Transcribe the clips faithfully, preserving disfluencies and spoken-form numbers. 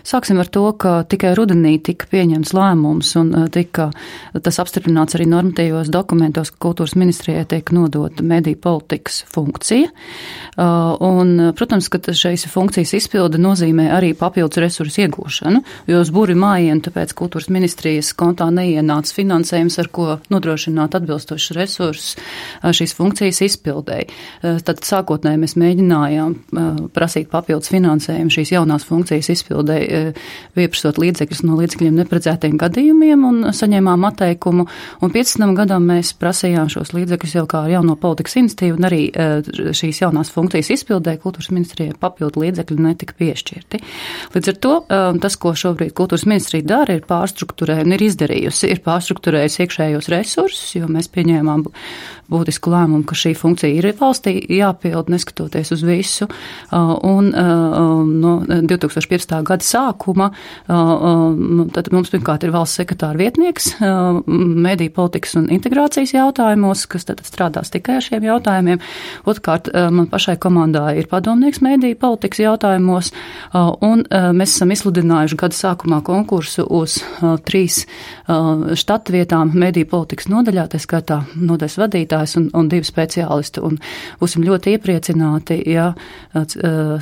Sāksim ar to, ka tikai rudenī tika pieņemts lēmums un tika tas apstiprināts arī normatīvos dokumentos, ka kultūras ministrijai tiek nodota mediju politikas funkcija. Un, protams, ka šīs funkcijas izpilde nozīmē arī papildus resursu iegūšanu, jo uz buri mājienu tāpēc kultūras ministrijas kontā neienāca finansējums, ar ko nodrošināt atbilstošus resursus šīs funkcijas izpildēji. Tad sākotnēji mēs mēģinājām prasīt papildus finansējumu šīs jaunās funkcijas izpildēji, pieprasot līdzekļus no līdzekļiem neparedzētiem gadījumiem un saņēmām atteikumu. Un piecdesmitam gadam mēs prasījām šos līdzekļus jau kā jauno politikas iniciatīvu, un arī šīs jaunās funkcijas izpildē kultūras ministrijai papildu līdzekļi netika piešķirti. Līdz ar to tas, ko šobrīd kultūras ministrija dara, ir pārstrukturēja un ir izdarījusi, ir pārstrukturējusi iekšējos resursus, jo mēs pieņēmām būtisku lēmumu, ka šī funkcija ir valstī jāpild, neskatoties uz visu. Un no divi tūkstoši piecpadsmitā gada sākuma tad mums pirmkārt ir valsts sekretāra vietnieks mediju politikas un integrācijas jautājumos, kas tad strādās tikai ar šiem jautājumiem. Otrkārt, man pašai komandā ir padomnieks mediju politikas jautājumos, un mēs esam izsludinājuši gada sākumā konkursu uz trīs štata vietām mediju politikas nodaļā, tā skaitā nodaļas vadītājs un, un divi speciālisti. Un būsim ļoti iepriecināti, ja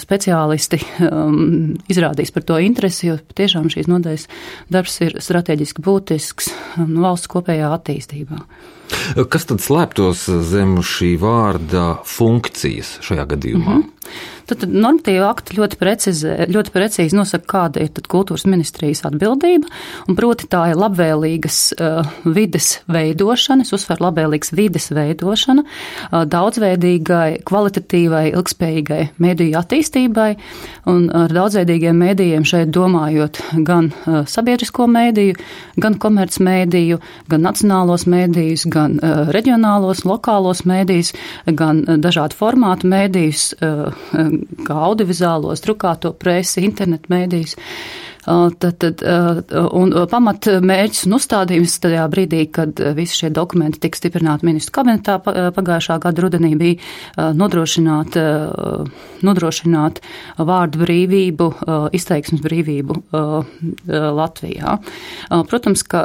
speciālisti um, izrādīs par to interesi, jo tiešām šīs nodaļas darbs ir strateģiski būtisks um, valsts kopējā attīstībā. Kas tad slēptos zem šī vārda funkcijas šajā gadījumā? Mm-hmm. Tad normatīva akti ļoti precīzi, ļoti precīzi nosaka, kāda ir tad kultūras ministrijas atbildība, un proti tā ir labvēlīgas uh, vides veidošana, es uzsveru labvēlīgas vides veidošana, uh, daudzveidīgai, kvalitatīvai, ilgspējīgai mediju attīstībai, un ar daudzveidīgiem medijiem šeit domājot gan uh, sabiedrisko mediju, gan komercmediju, gan nacionālos medijus, gan uh, reģionālos, lokālos medijus, gan uh, dažādu formātu medijus, uh, kā audiovizuālos, drukāto presi, internetu mēdījus. Tad, tad, un pamat mērķis un uzstādījums tajā brīdī, kad visi šie dokumenti tika stiprināti ministru kabinetā pagājušā gada rudenī, bija nodrošināt, nodrošināt vārdu brīvību, izteiksmes brīvību Latvijā. Protams, ka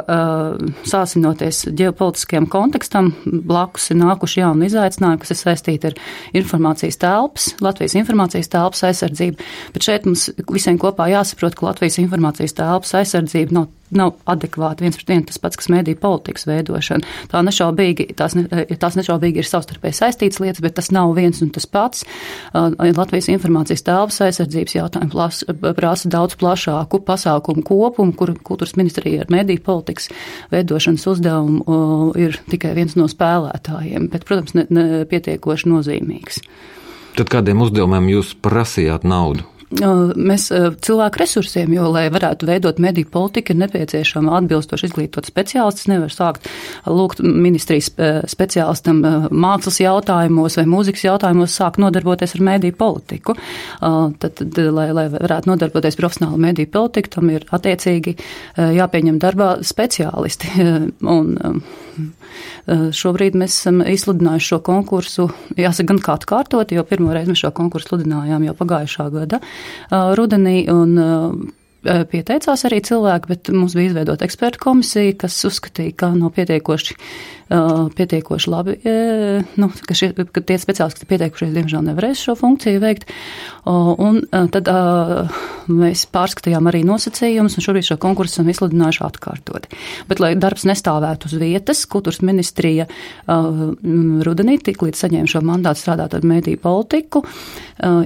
sāsinoties ģeopolitiskajam kontekstam, blakus ir nākuši jauni izaicinājumi, kas ir saistīti ar informācijas telpas, Latvijas informācijas telpas aizsardzību, bet šeit mums visiem kopā jāsaprot, ka Latvijas informācijas telpas aizsardzība nav, nav adekvāta viens pret vienu tas pats, kas mediju politikas veidošana. Tā nešaubīgi, tās, ne, tās nešaubīgi ir savstarpēji saistītas lietas, bet tas nav viens un tas pats. Latvijas informācijas telpas aizsardzības jautājumi prasa daudz plašāku pasākumu kopumu, kur kultūras ministrija ar mediju politikas veidošanas uzdevumu ir tikai viens no spēlētājiem, bet, protams, ne, ne pietiekoši nozīmīgs. Tad kādiem uzdevumiem jūs prasījāt naudu? Mēs cilvēku resursiem, jo, lai varētu veidot mediju politiku, ir nepieciešama atbilstoši izglītot speciālistus. Nevar sākt lūgt ministrijas speciālistam mākslas jautājumos vai mūzikas jautājumos sākt nodarboties ar mediju politiku. Tad, tad lai, lai varētu nodarboties profesionāli mediju politiku, tam ir attiecīgi jāpieņem darbā speciālisti. Un šobrīd mēs esam izsludinājuši šo konkursu, jāsaka gan kādu kārtot, jo pirmo reizi mēs šo konkursu sludinājām jau pagājušā gada rudenī, un pieteicās arī cilvēki, bet mums bija izveidota ekspertu komisija, kas uzskatīja, ka nav pietiekoši, pietiekoši labi, nu, ka, šie, ka tie speciālisti, kas pieteikušies, diemžēl nevarēs šo funkciju veikt. Un tad mēs pārskatījām arī nosacījumus, un šobrīd šo konkursu esam izsludinājuši atkārtoti. Bet, lai darbs nestāvētu uz vietas, kultūras ministrija rudenī, tik līdz saņēma šo mandātu strādāt ar mediju politiku,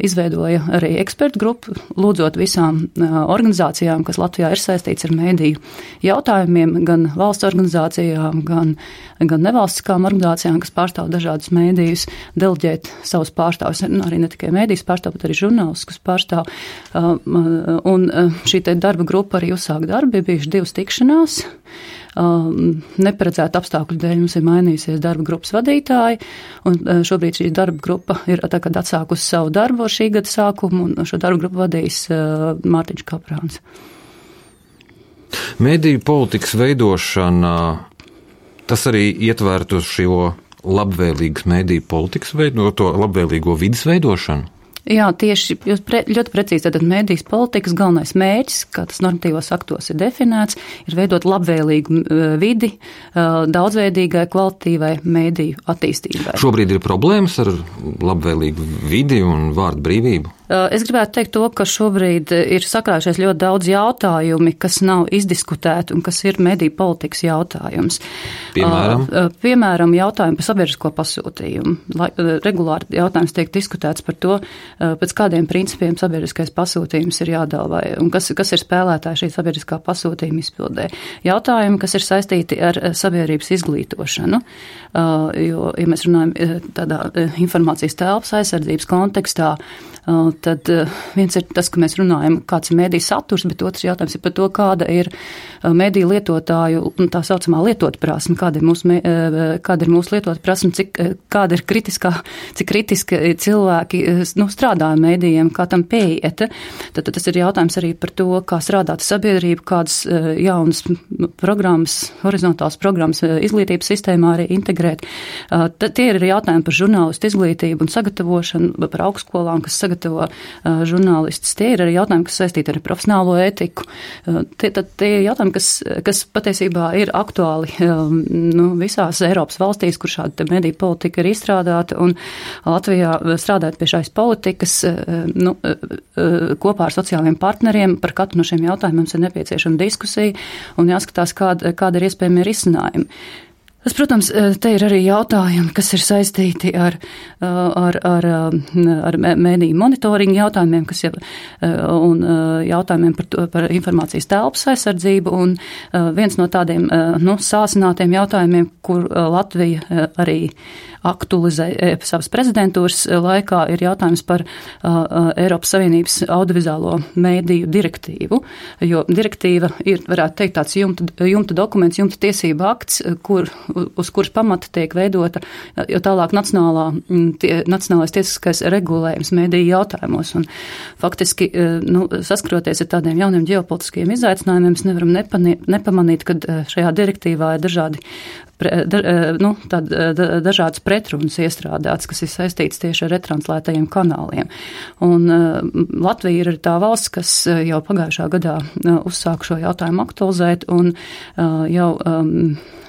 izveidoja arī ekspertu grupu, lūdzot visām organizācijām, kas Latvijā ir saistīts ar mediju jautājumiem, gan valsts organizācijām, gan, gan nevalstiskām organizācijām, kas pārstāv dažādus medijus, deleģēt savus pārstāvus, arī ne tikai medijas pārstāv, bet arī žurnālistus pārstāv. Un šī te darba grupa arī uzsāk darbu, bija bijuši divas tikšanās. Neparedzēta apstākļu dēļ mums ir mainījusies darba grupas vadītāji, un šobrīd šī darba grupa ir tagad atsākusi savu darbu ar šī gada sākumu, un šo darba grupu vadīs Mārtiņš Kaprāns. Mediju politikas veidošana, tas arī ietvertu šo labvēlīgas mediju politikas veido, to labvēlīgo vidas veidošanu? Jā, tieši jūs pre, ļoti precīzi, tad medijas politikas galvenais mērķis, kā tas normatīvos aktos ir definēts, ir veidot labvēlīgu vidi daudzveidīgai, kvalitīvai mediju attīstībai. Šobrīd ir problēmas ar labvēlīgu vidi un vārdu brīvību? Es gribētu teikt to, ka šobrīd ir sakrājušies ļoti daudz jautājumi, kas nav izdiskutēti un kas ir mediju politikas jautājums. Piemēram? Piemēram, jautājumi par sabiedrisko pasūtījumu. Regulāri jautājums tiek diskutēts par to, pēc kādiem principiem sabiedriskais pasūtījums ir jādala vai, un kas, kas ir spēlētāji šī sabiedriskā pasūtījuma izpildē. Jautājumi, kas ir saistīti ar sabiedrības izglītošanu, jo, ja mēs runājam tādā informācijas telpas aizsardzības kontekstā, tad viens ir tas, ka mēs runājam, kāds ir mediju saturs, bet otrs jautājums ir par to, kāda ir mediju lietotāju tā saucamā lietotprasme, kāda ir mūsu, kāda ir mūsu lietotprasme, cik, kāda ir kritiskā, cik kritiski cilvēki nu, strādā medijiem, kā tam pieiet. Tad, tad tas ir jautājums arī par to, kā strādāt sabiedrību, kādas jaunas programmas, horizontāls programmas izglītības sistēmā arī integrēt. Tad tie ir jautājumi par žurnālistu izglītību un sagatavošanu, par augstskolām, kas sagatavo žurnālistus. Tie ir arī jautājumi, kas saistīti ar profesionālo ētiku. Tie, tad, tie ir jautājumi, kas, kas patiesībā ir aktuāli nu, visās Eiropas valstīs, kur šāda mediju politika ir izstrādāta, un Latvijā strādāt pie šais politikas nu, kopā ar sociālajiem partneriem. Par katru no šiem jautājumiem mums ir nepieciešama diskusija un jāskatās, kāda, kāda ir iespējami risinājumi. Tas, protams, te ir arī jautājumi, kas ir saistīti ar, ar, ar, ar mediju monitoringu jautājumiem, kas jau, un jautājumiem par, to, par informācijas telpas aizsardzību, un viens no tādiem nu, sāsinātiem jautājumiem, kur Latvija arī aktualizē savas prezidentūras laikā, ir jautājums par Eiropas Savienības audiovizuālo mediju direktīvu, jo direktīva ir, varētu teikt, tāds jumta, jumta dokuments, jumta tiesība akts, kur uz kuras pamata tiek veidota jau tālāk nacionālā, tie, nacionālais tiesiskais regulējums mediju jautājumos. Un faktiski, nu, saskaroties ar tādiem jauniem ģeopolitiskiem izaicinājumiem, mēs nevaram nepanīt, nepamanīt, ka šajā direktīvā ir dažādi, da, nu, tād, da, dažādas pretrunas iestrādāts, kas ir saistīts tieši ar retranslētajiem kanāliem. Un Latvija ir tā valsts, kas jau pagājušā gadā uzsāka šo jautājumu aktualizēt, un jau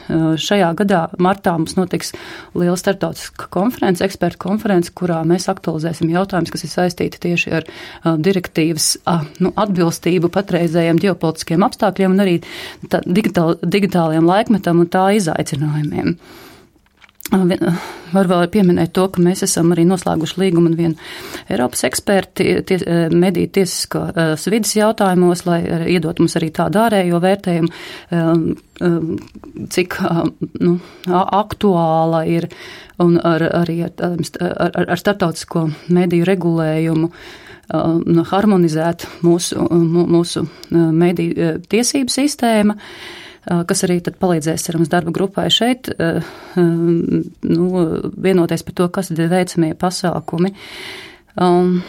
šajā gadā martā mums notiks liela starptautiska konference, ekspertu konference, kurā mēs aktualizēsim jautājumus, kas ir saistīti tieši ar uh, direktīvas uh, nu, atbilstību patreizējiem ģeopolitiskiem apstākļiem un arī tā, digitāl, digitālajiem laikmetam un tā izaicinājumiem. Var vēl pieminēt to, ka mēs esam arī noslēguši līgumu un vienu Eiropas eksperti ties, mediju tiesiskās vidas jautājumos, lai iedot mums arī tādu ārējo vērtējumu, cik nu, aktuāla ir un ar, arī ar, ar, ar starptautisko mediju regulējumu harmonizēt mūsu, mūsu mediju tiesību sistēma, kas arī tad palīdzēs, cerams, darba grupai šeit, nu, vienoties par to, kas tad ir veicamie pasākumi. Um,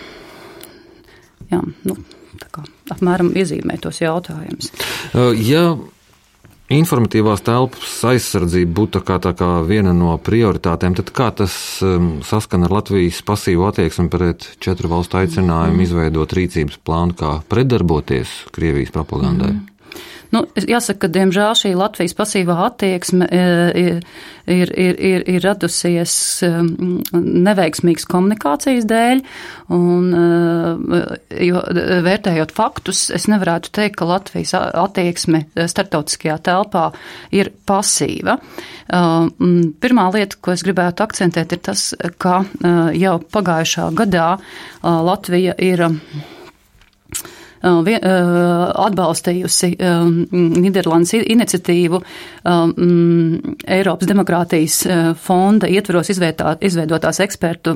jā, nu, tā kā apmēram iezīmē tos jautājumus. Ja informatīvās telpas aizsardzība būtu tā kā, tā kā viena no prioritātēm, tad kā tas um, saskan ar Latvijas pasīvu attieksmi pret četru valstu aicinājumu mm. izveidot rīcības plānu, kā pretdarboties Krievijas propagandai? Mm. Nu, jāsaka, ka, diemžēl, šī Latvijas pasīvā attieksme ir, ir, ir, ir radusies neveiksmīgas komunikācijas dēļ, un, jo vērtējot faktus, es nevarētu teikt, ka Latvijas attieksme starptautiskajā telpā ir pasīva. Pirmā lieta, ko es gribētu akcentēt, ir tas, ka jau pagājušā gadā Latvija ir atbalstījusi Nīderlandes iniciatīvu Eiropas demokrātijas fonda ietveros izveidotās ekspertu,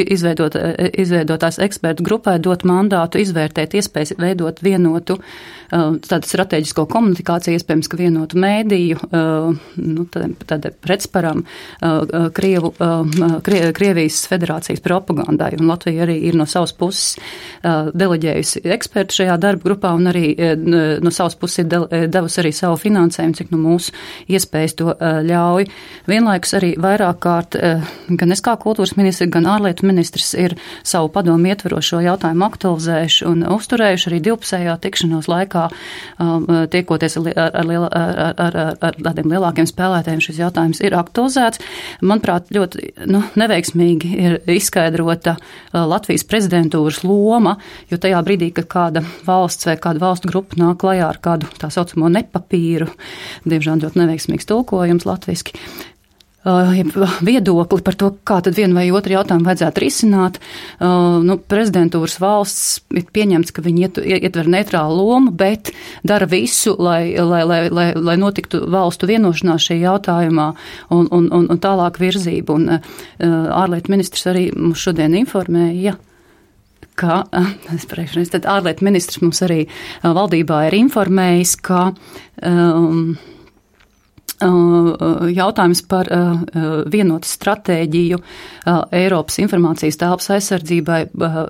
izveidot, izveidotās ekspertu grupai dot mandātu izvērtēt iespējas veidot vienotu tādu strateģisko komunikāciju, iespējams, ka vienotu mēdīju, nu, tāda pretsparam Krievu, Krie, Krievijas federācijas propagandai, un Latvija arī ir no savas puses deleģējusi ekspertu šajā darba grupā un arī no savas puses ir devusi arī savu finansējumu, cik nu mūsu iespējas to ļauj. Vienlaikus arī vairāk kārt gan es kā kultūras ministrs, gan ārlietu ministrs ir savu padomu ietverošo jautājumu aktualizējuši un uzturējuši arī divpusējā tikšanos laikā, tiekoties ar, ar, liela, ar, ar, ar, ar tādiem lielākiem spēlētājiem šis jautājums ir aktualizēts. Manuprāt, ļoti nu, neveiksmīgi ir izskaidrota Latvijas prezidentūras loma, jo tajā brīdī, kad kāda valsts vai kāda valstu grupa nāk klajā ar kādu tā saucamo nepapīru, diemžēl ļoti neveiksmīgs tulkojums latviski, viedokli par to, kā tad vienu vai otru jautājumu vajadzētu risināt. Nu, prezidentūras valsts ir pieņemts, ka viņi iet, ietver neitrālu lomu, bet dara visu, lai, lai, lai, lai, lai notiktu valstu vienošanās šajā jautājumā un, un, un, un tālāk virzību. Un ārlietu ministrs arī mums šodien informēja, ka, es priekšreiz, tad ārlietu ministrs mums arī valdībā ir informējis, ka um, jautājums par vienotu stratēģiju Eiropas informācijas telpas aizsardzībai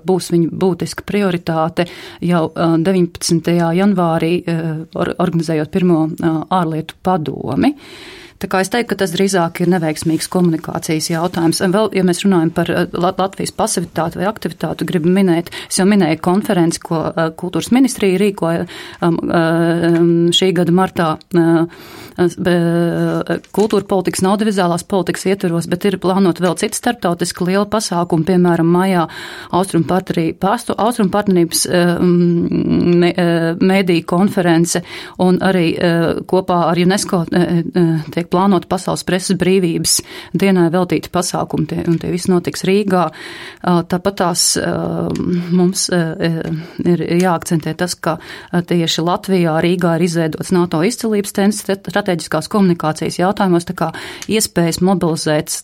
būs viņa būtiska prioritāte jau deviņpadsmitajā janvārī organizējot pirmo ārlietu padomi. Tā kā es teiktu, ka tas drīzāk ir neveiksmīgs komunikācijas jautājums. Vēl, ja mēs runājam par Latvijas pasivitāti vai aktivitāti, gribu minēt, es jau minēju konferenci, ko kultūras ministrija rīkoja šī gada martā kultūra politikas un audiovizuālās politikas ietveros, bet ir plānota vēl cita starptautiska liela pasākuma, piemēram, maijā Austrum partnerības mēdīju konference un arī kopā ar UNESCO tiek plānota Pasaules preses brīvības dienai veltīti pasākumi, un tie visi notiks Rīgā. Tāpat tās mums ir jāakcentē tas, ka tieši Latvijā, Rīgā ir izveidots NATO izcilības centrs strateģiskās komunikācijas jautājumos, tā kā iespējas mobilizēt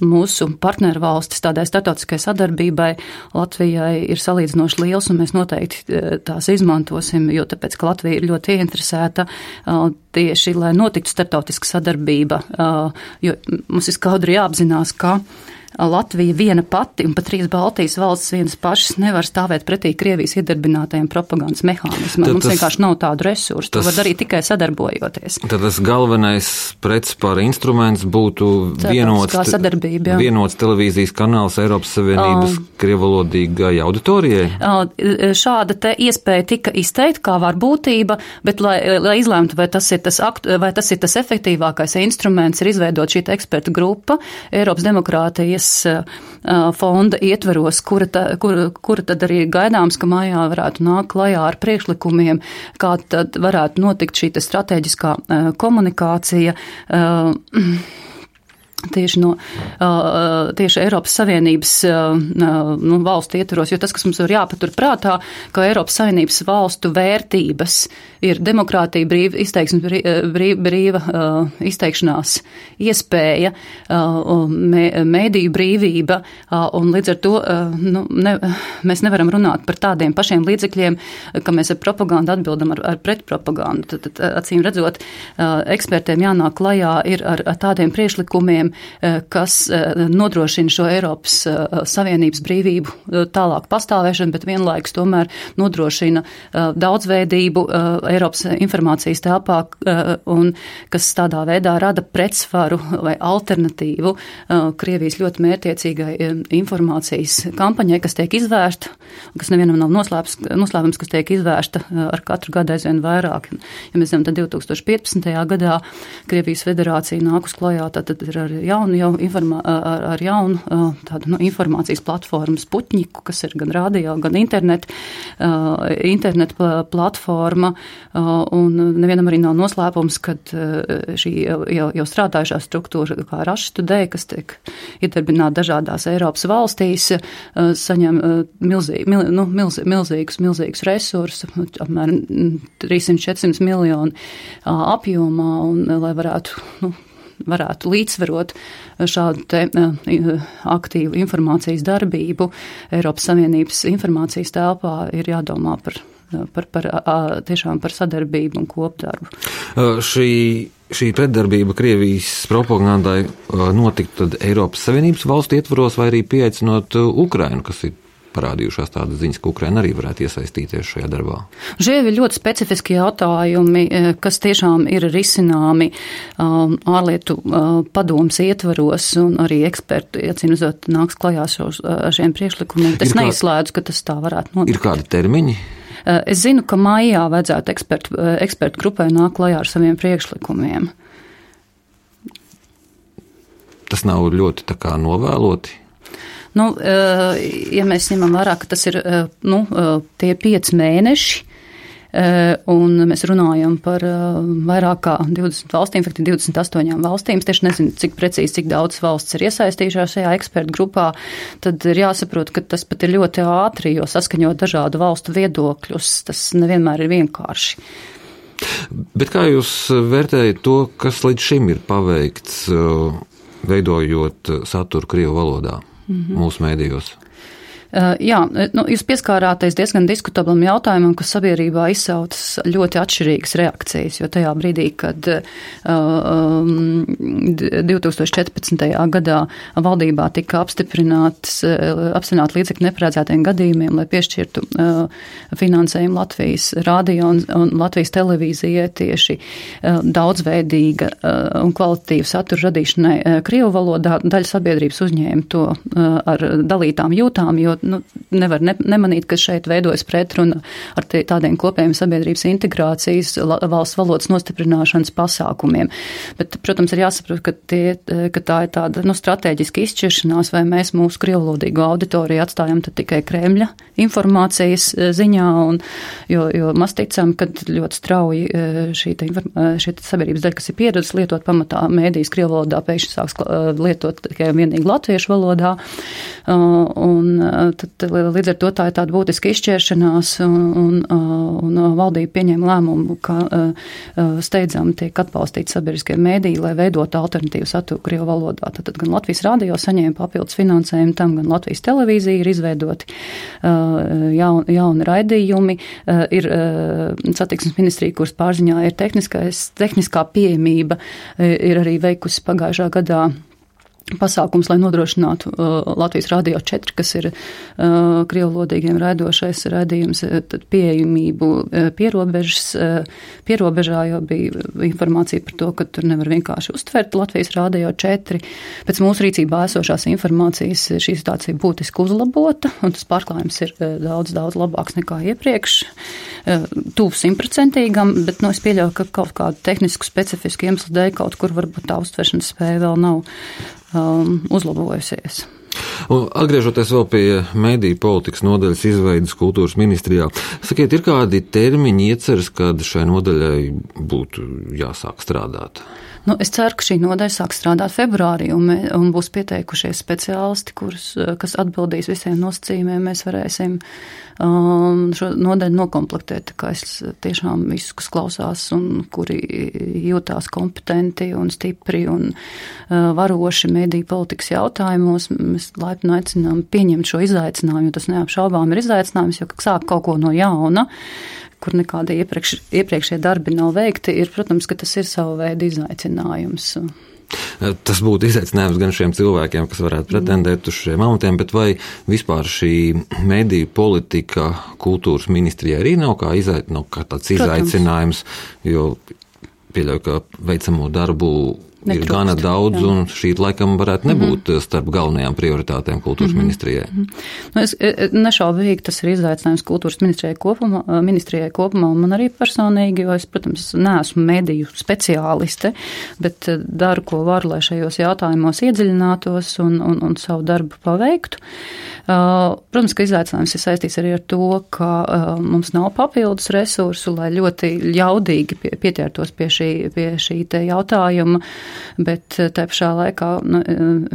mūsu partneru valstis tādai starptautiskai sadarbībai Latvijai ir salīdzinoši liels, un mēs noteikti tās izmantosim, jo tāpēc, ka Latvija ir ļoti ieinteresēta tieši, lai notiktu starptautiska sadarbība, jo mums ir skaudri jāapzinās, ka Latvija viena pati un pat trīs Baltijas valstis vienas pašas nevar stāvēt pretī Krievijas iedarbinātajiem propagandas mehānismam. Mums tas, vienkārši nav tādu resursu. To var darīt tikai sadarbojoties. Tad tas galvenais pretspāra instruments būtu vienots, vienots televīzijas kanāls Eiropas Savienības uh, krievalodīgai auditorijai? Uh, šāda te iespēja tika izteikta kā varbūtība, bet lai, lai izlēmtu, vai tas ir tas, aktu, vai tas ir tas efektīvākais instruments, ir izveidot šī ekspertu grupa Eiropas demokrātijas fonda ietveros, kura, ta, kura, kura tad arī gaidāms, ka mājā varētu nākt klajā ar priekšlikumiem, kā tad varētu notikt šī strateģiskā komunikācija tieši no tieši Eiropas Savienības nu, valstu ietvaros, jo tas, kas mums ir jāpatur prātā, ka Eiropas Savienības valstu vērtības ir demokrātija, brīva izteiksmes, brīva, brīva izteikšanās iespēja, mēdīju brīvība, un līdz ar to nu, ne, mēs nevaram runāt par tādiem pašiem līdzekļiem, ka mēs ar propagandu atbildam ar, ar pretpropagandu. Tad, tad, acīm redzot, ekspertiem jānāk klajā ir ar, ar tādiem priekšlikumiem, kas nodrošina šo Eiropas Savienības brīvību tālāk pastāvēšanu, bet vienlaikus tomēr nodrošina daudzveidību Eiropas informācijas telpā un kas tādā veidā rada pretsvaru vai alternatīvu Krievijas ļoti mērķiecīgai informācijas kampaņai, kas tiek izvērsta, kas nevienam nav noslēpums, noslēpums, kas tiek izvērsta ar katru gadu aizvien vairāk. Ja mēs zinām, tad divi tūkstoši piecpadsmitajā gadā Krievijas federācija nāk uz klajā, tad ir ar jaunu, jau informā, ar, ar jaunu tādu nu, informācijas platformu Sputniku, kas ir gan radio, gan internet, internet platforma, un nevienam arī nav noslēpums, kad šī jau, jau strādājušā struktūra kā Russia Today, kas tiek iedarbināta dažādās Eiropas valstīs, saņem milzī, mil, nu, milz, milzīgus, milzīgus resursus, apmēram trīssimt līdz četrsimt miljonu apjomā, un lai varētu, nu, varētu līdzsvarot šādu te aktīvu informācijas darbību Eiropas Savienības informācijas telpā, ir jādomā par, par, par tiešām par sadarbību un kopdarbu. Šī, šī pretdarbība Krievijas propagandai notiktu tad Eiropas Savienības valstu ietvaros vai arī pieaicinot Ukrainu, kas ir parādījušās tādas ziņas, ka Ukraina arī varētu iesaistīties šajā darbā. Šie ir ļoti specifiski jautājumi, kas tiešām ir risināmi um, ārlietu uh, padomas ietvaros, un arī eksperti, atcīmredzot, nāks klajā šos, ar šiem priekšlikumiem. Es neizslēdzu, ka tas tā varētu notikt. Ir kādi termiņi? Es zinu, ka maijā vajadzētu ekspertu, ekspertu grupai nāk klajā ar saviem priekšlikumiem. Tas nav ļoti tā kā novēloti? Nu, ja mēs ņemam vērā, ka tas ir nu, tie pieci mēneši, un mēs runājam par vairāk kā divdesmit valstīm, faktiski divdesmit astoņām valstīm, es tieši nezinu, cik precīzi, cik daudz valsts ir iesaistījušās šajā ekspertu grupā, tad ir jāsaprot, ka tas pat ir ļoti ātri, jo saskaņot dažādu valstu viedokļus, tas nevienmēr ir vienkārši. Bet kā jūs vērtējat to, kas līdz šim ir paveikts, veidojot saturu krievu valodā mm-hmm. mūsu mēdījos? Uh, jā, nu, jūs pieskārāties diezgan diskutablam jautājumam, kas sabiedrībā izsaucas ļoti atšķirīgas reakcijas, jo tajā brīdī, kad uh, um, divi tūkstoši četrpadsmitajā gadā valdībā tika apstiprināts, uh, apstiprināt līdzekļu neparedzētiem gadījumiem, lai piešķirtu uh, finansējumu Latvijas radio un, un Latvijas televīzijai tieši uh, daudzveidīga uh, un kvalitatīva satura radīšanai uh, krievu valodā, daļa sabiedrības uzņēma to uh, ar dalītām jūtām, jo nu, nevar ne, nemanīt, ka šeit veidojas pretruna ar tie, tādiem kopējiem sabiedrības integrācijas, la, valsts valodas nostiprināšanas pasākumiem. Bet, protams, ir jāsaprot, ka, tie, ka tā ir tāda nu, strateģiska izšķiršanās, vai mēs mūsu krievlodīgo auditoriju atstājam tad tikai Kremļa informācijas ziņā, un, jo, jo mēs ticam, ka ļoti strauji šī, šī sabiedrības daļa, kas ir pieredzes lietot pamatā mēdīs krievlodā, pēkšņi sāks lietot tikai vienīgi latviešu valodā, un tad līdz ar to tā ir tāda būtiska izšķiršanās, un, un, un valdība pieņēma lēmumu, ka steidzami tiek atbalstīti sabiedriskie mēdīji, lai veidotu alternatīvu saturu krievu valodā. Tad gan Latvijas radio saņēma papildus finansējumu tam, gan Latvijas televīzija ir izveidoti jaun, jauni raidījumi, ir satiksmes ministrija, kuras pārziņā ir tehniskā pieejamība, ir arī veikusi pagājušā gadā pasākums, lai nodrošinātu uh, Latvijas radio četri, kas ir uh, krievlodīgiem raidošais raidījums, tad pieejamību uh, pierobežas, uh, pierobežā, jo bija informācija par to, ka tur nevar vienkārši uztvert Latvijas radio četri. Pēc mūsu rīcībā esošās informācijas šī situācija būtiski uzlabota, un tas pārklājums ir uh, daudz, daudz labāks nekā iepriekš. Uh, tuvu simtprocentīgam, bet, nu, es pieļauju, ka kaut kādu tehnisku specifisku iemeslu dēļ kaut kur varbūt tā uztveršanas spēja vēl nav Um, uzlabojusies. Un atgriežoties vēl pie mediju politikas nodaļas izveidas kultūras ministrijā, sakiet, ir kādi termiņi ieceras, kad šai nodaļai būtu jāsāk strādāt? Nu, es ceru, ka šī nodaļa sāk strādāt februārī, un, mē, un būs pieteikušies speciālisti, kurus, kas atbildīs visiem nosacījumiem. Mēs varēsim um, šo nodaļu nokomplektēt, kā es tiešām visus, kas klausās un kuri jūtās kompetenti un stipri un uh, varoši mediju politikas jautājumos. Mēs laipni aicinām pieņemt šo izaicinājumu, jo tas neapšaubām ir izaicinājums, jo sāk kaut ko no jauna, kur nekādi iepriekš, iepriekšie darbi nav veikti, ir, protams, ka tas ir savu veidu izaicinājums. Tas būtu izaicinājums gan šiem cilvēkiem, kas varētu pretendēt uz šiem amatiem, bet vai vispār šī mediju politika kultūras ministrijai arī nav kā, izai, nav kā tāds izaicinājums, jo pieļauju, ka veicamo darbu ir Netrūkst, gana daudz, jā. Un šī laikam varētu nebūt mm-hmm. starp galvenajām prioritātēm kultūras mm-hmm. ministrijai. Mm-hmm. Nu, es nešaubīgi, tas ir izaicinājums kultūras ministrijai kopumā, ministrijai kopumā, un man arī personīgi, jo es, protams, neesmu mediju speciāliste, bet daru, ko varu, lai šajos jautājumos iedziļinātos un, un, un savu darbu paveiktu. Protams, ka izaicinājums ir saistīts arī ar to, ka mums nav papildus resursu, lai ļoti ļaudīgi pieķertos pie šī, pie šī te jautājuma, bet tā pašā laikā nu,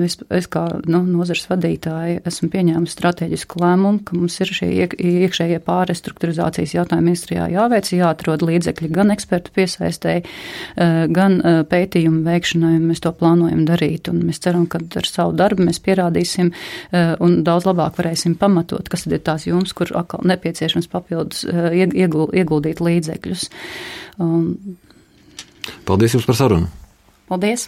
es, es kā nu, nozares vadītāji esmu pieņēmusi strateģisku lēmumu, ka mums ir šie iek, iekšējie pārrestruktūrizācijas jautājumi ministrijā jāveic, jāatrod līdzekļi gan ekspertu piesaistēji, gan pētījumu veikšanai, un mēs to plānojam darīt, un mēs ceram, ka ar savu darbu mēs pierādīsim un daudz labāk labāk varēsim pamatot, kas tad ir tās jomas, kur atkal nepieciešams papildus ieguldīt līdzekļus. Um, Paldies jums par sarunu. Paldies.